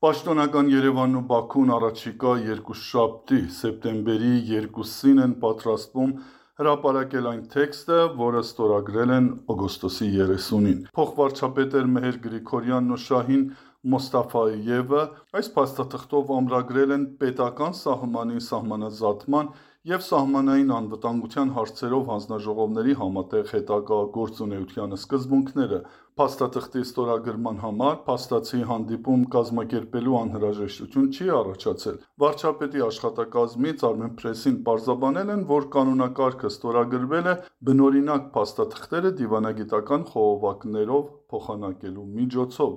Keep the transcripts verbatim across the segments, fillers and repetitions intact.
Պաշտոնական Երևանն ու Բաքուն առաջիկա երկուշաբթի սեպտեմբերի երկուսին են պատրաստվում հրապարակել այն տեքստը, որը ստորագրել են օգոստոսի երեսունին։ Փոխվարչապետեր Մեհեր Գրիգորյանն ու Շահին Մոստաֆայևը այս փաստաթղթով ամրագրել են պետական սահմանի սահմանազատման և սահմանային անվտանգության հարցերով հանձնաժողովների համատեղ հետագա գործունեության սկզբունքները։ Փաստաթղթի ստորագրման համար փաստացի հանդիպում կազմակերպելու անհրաժեշտություն չի առաջացել։ Վարչապետի աշխատակազմից Armenpress-ին պարզաբանել են, որ կանոնակարգը ստորագրվել է բնօրինակ փաստաթղթերը դիվանագիտական խողովակներով փոխանակելու միջոցով։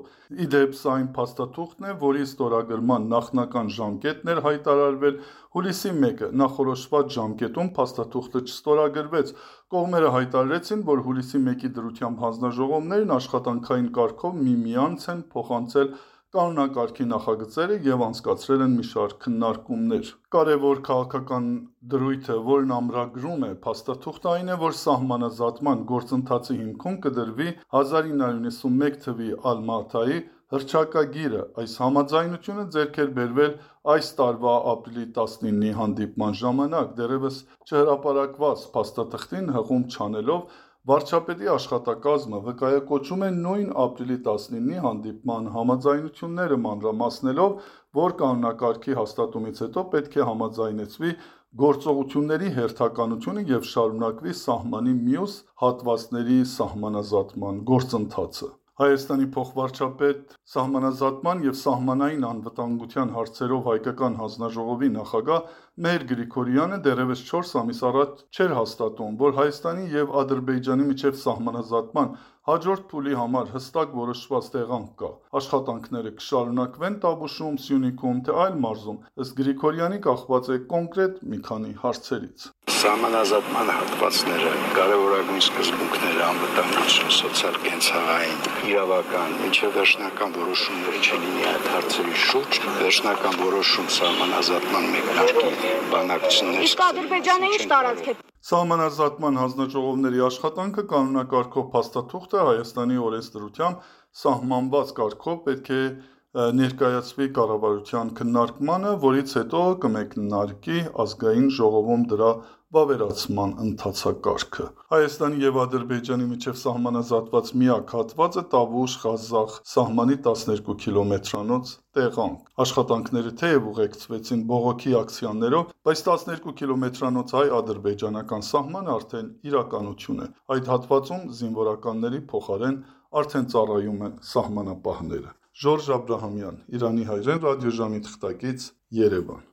Ի դեպ, սա այն փաստաթուղթն է, որի ստորագրման նախնական ժամկետն էր հայտարարվել հուլիսի մեկը։ Նախորոշված ժամկետում փաստաթուղթը չստորագրվեց։ Կողմերը հայտարարեցին, որ հուլիսի մեկի դրությամբ հանձնաժողովներն աշխատանքային կարգով միմյանց են փոխանցել կանոնակարգի նախագծերը և անցկացրել են մի շարք քննարկումներ։ Կարևոր քաղաքական դրույթը, որն ամրագրում է փաստաթուղթը, այն է, որ սահմանազատման գործընթացի հիմքում կդրվի հազար ինը հարյուր նվաթ թվականի Ալմատայի հռչակագիրը։ Այս համաձայնությունը ձեռք էր բերվել այս տարվա ապրիլի տասնինի հանդիպման ժամանակ։ Դեռևս չհրապարակված փաստաթղթին հղում չանելով, վարչապետի աշխատակազմը վկայակոչում է նույն ապրիլի տասնինի հանդիպման համաձայնությունները, մանրամասնելով, որ կանոնակարգի հաստատումից հետո պետք է համաձայնեցվի գործողությունների հերթականությունը և շարունակվի սահմանի մյուս հատվածների սահմանազատման գործընթացը։ Հայաստանի փոխվարչապետ, սահմանազատման և սահմանային անվտանգության հարցերով հայկական հանձնաժողովի նախագահ Մեհեր Գրիգորյանը դեռևս չորս ամիս առաջ չէր հաստատում, որ Հայաստանի և Ադրբեջանի միջև սահմանազատման հաջորդ փուլի համար հստակ որոշված տեղանք կա։ Աշխատանքները կշարունակվեն Տավուշում, Սյունիքում, թե այլ մարզում, ըստ Գրիգորյանի, կախված է կոնկրետ մի քանի հարցերից։ Սահմանազատման հատվածները, կարևորագույն սկզբունքները, անվտանգություն, սոցիալ-կենցաղային, իրավական, մինչև վերջնական որոշումները չլինի այդ հարցերի շուրջ, վերջնական որոշում սահմանազատման մեկնարկի բանակցություններ։ Իսկ Ադրբեջանը ինչ տարածք է։ Սահմանազատման հանձնաժողովների աշխատանքը կանոնակարգով փաստաթուղթը Հայաստանի օրենսդրությամբ սահմանված կարգով պետք է ներկայացվի կառավարության քննարկմանը, որից հետո կմեկնարկի Ազգային ժողովում դրա վավերացման ընթացակարգը։ Հայաստանի և Ադրբեջանի միջև սահմանազատված միակ հատվածը Տավուշ-Ղազախ սահմանի տասներկու կիլոմետրանոց տեղանք։ Աշխատանքները թեև ուղեկցվեցին բողոքի ակցիաներով, բայց տասներկու կիլոմետրանոց հայ-ադրբեջանական սահմանը արդեն իրականություն է։ Այդ հատվածում զինվորականների փոխարեն արդեն ծառայում են սահմանապահները։ Ժորժ Աբրահամյան, Իրանի հայրեն, ռադիոժամի թղթակից, Երևան։